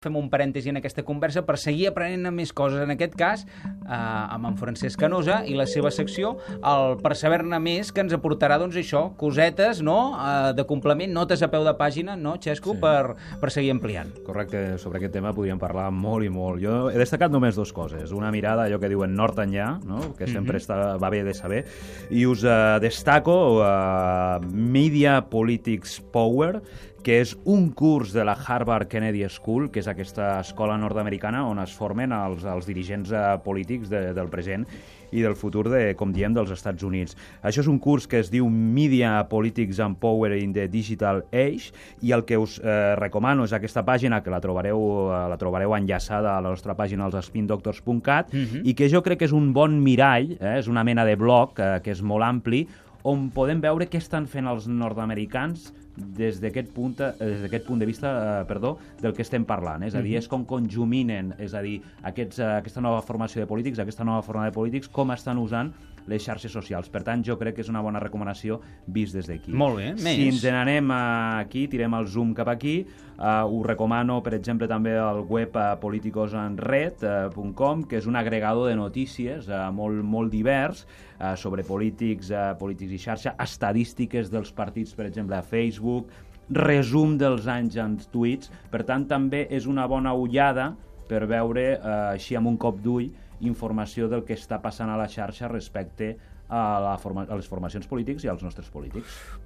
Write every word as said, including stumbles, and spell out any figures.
Fem un parèntesi en aquesta conversa per seguir aprenent més coses, en aquest cas eh, amb en Francesc Canosa i la seva secció, el Per saber-ne més, que ens aportarà, doncs això, cosetes, no?, eh, de complement, notes a peu de pàgina, no, Xesco, Sí. per, per seguir ampliant. Correcte, sobre aquest tema podríem parlar molt i molt. Jo he destacat només dues coses. Una mirada, allò que diuen nord enllà, no?, que sempre Mhm. està, va bé de saber, i us eh, destaco eh, Media Politics Power, que és un curs de la Harvard Kennedy School, que és aquesta escola nord-americana on es formen els, els dirigents eh, polítics de, del present i del futur, de, com diem, dels Estats Units. Això és un curs que es diu Media Politics and Power in the Digital Age, i el que us eh, recomano és aquesta pàgina, que la trobareu, eh, la trobareu enllaçada a la nostra pàgina als spin doctors punt cat, Mhm. i que jo crec que és un bon mirall, eh, és una mena de blog eh, que és molt ampli, on podem veure què estan fent els nord-americans des d'aquest punt, eh, des d'aquest punt de vista eh, perdó, del que estem parlant. És a dir, és com conjuminen, és a dir, aquests, eh, aquesta nova formació de polítics, aquesta nova forma de polítics, com estan usant les xarxes socials. Per tant, jo crec que és una bona recomanació vist des d'aquí. Molt bé, més. Si ens n'anem aquí, tirem el zoom cap aquí, uh, us recomano, per exemple, també el web uh, politicosenred punt com, que és un agregador de notícies uh, molt, molt divers uh, sobre polítics, uh, polítics i xarxa, estadístiques dels partits, per exemple, a Facebook, resum dels anys en tuits. Per tant, també és una bona ullada per veure, uh, així amb un cop d'ull, informació del que està passant a la xarxa respecte a, la forma, a les formacions polítics i als nostres polítics.